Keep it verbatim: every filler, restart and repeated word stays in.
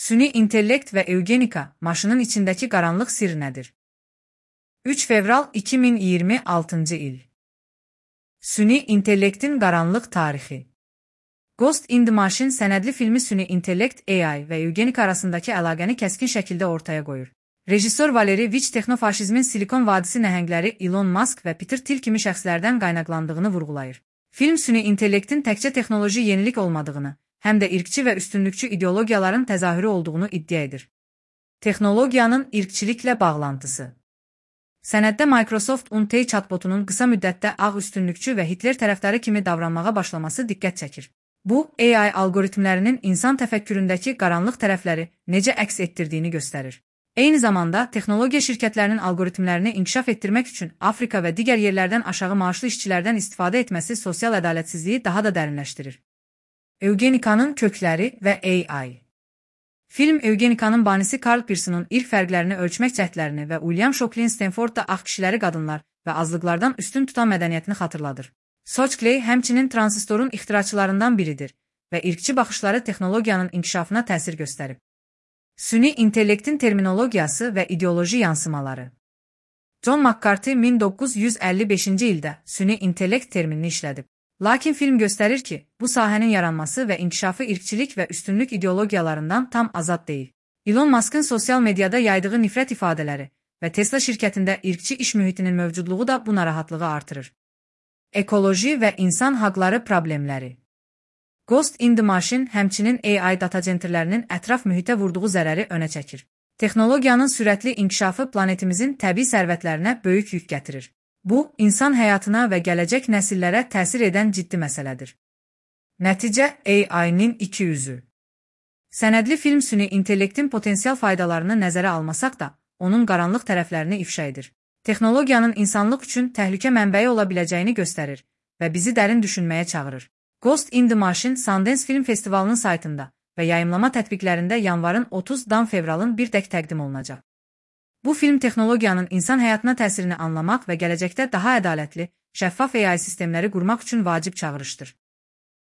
Süni intellekt və eugenika, maşının içindəki qaranlıq sir nədir? üç fevral iki min iyirmi altıncı il. Süni intellektin qaranlıq tarixi. Ghost in the Machine sənədli filmi süni intellekt A I və eugenika arasındakı əlaqəni kəskin şəkildə ortaya qoyur. Rejissor Valeri Vich texnofaşizmin Silikon Vadisi nəhəngləri Elon Musk və Peter Thiel kimi şəxslərdən qaynaqlandığını vurğulayır. Film süni intellektin təkcə texnoloji yenilik olmadığını, həm də irqçi və üstünlükçü ideologiyaların təzahürü olduğunu iddia edir. Texnologiyanın irqçiliklə bağlantısı. Sənəddə Microsoft Untey chatbotunun qısa müddətdə ağ üstünlükçü və Hitler tərəfdarı kimi davranmağa başlaması diqqət çəkir. Bu, A I algoritmlərinin insan təfəkküründəki qaranlıq tərəfləri necə əks etdirdiyini göstərir. Eyni zamanda, texnologiya şirkətlərinin algoritmlərini inkişaf etdirmək üçün Afrika və digər yerlərdən aşağı maaşlı işçilərdən istifadə etməsi sosial ədalətsizliyi daha da dərinləşdirir. Eugenikanın kökləri və A I. Film Eugenikanın banisi Karl Pearson'un irq fərqlərini ölçmək cəhdlərini və William Shockley'in Stanfordda ağ kişiləri qadınlar və azlıqlardan üstün tutan mədəniyyətini xatırladır. Shockley həmçinin transistorun ixtiraçılarından biridir və irqçi baxışları texnologiyanın inkişafına təsir göstərib. Süni intellektin terminologiyası və ideoloji yansımaları. John McCarthy min doqquz yüz əlli beşinci ildə süni intellekt terminini işlədib. Lakin film göstərir ki, bu sahənin yaranması və inkişafı irqçilik və üstünlük ideologiyalarından tam azad deyil. Elon Musk'ın sosial mediada yaydığı nifrət ifadələri və Tesla şirkətində irqçi iş mühitinin mövcudluğu da bu narahatlığı artırır. Ekoloji və insan haqları problemləri. Ghost in the Machine həmçinin A I data centerlərinin ətraf mühitə vurduğu zərəri önə çəkir. Texnologiyanın sürətli inkişafı planetimizin təbii sərvətlərinə böyük yük gətirir. Bu, insan həyatına və gələcək nəsillərə təsir edən ciddi məsələdir. Nəticə A I-nin iki üzü. Sənədli film süni intellektin potensial faydalarını nəzərə almasaq da, onun qaranlıq tərəflərini ifşa edir. Texnologiyanın insanlıq üçün təhlükə mənbəyi ola biləcəyini göstərir və bizi dərin düşünməyə çağırır. Ghost in the Machine Sundance Film Festivalının saytında və yayımlama tətbiqlərində yanvarın otuzundan fevralın birdək təqdim olunacaq. Bu film texnologiyanın insan həyatına təsirini anlamaq və gələcəkdə daha ədalətli, şəffaf A I sistemləri qurmaq üçün vacib çağırışdır.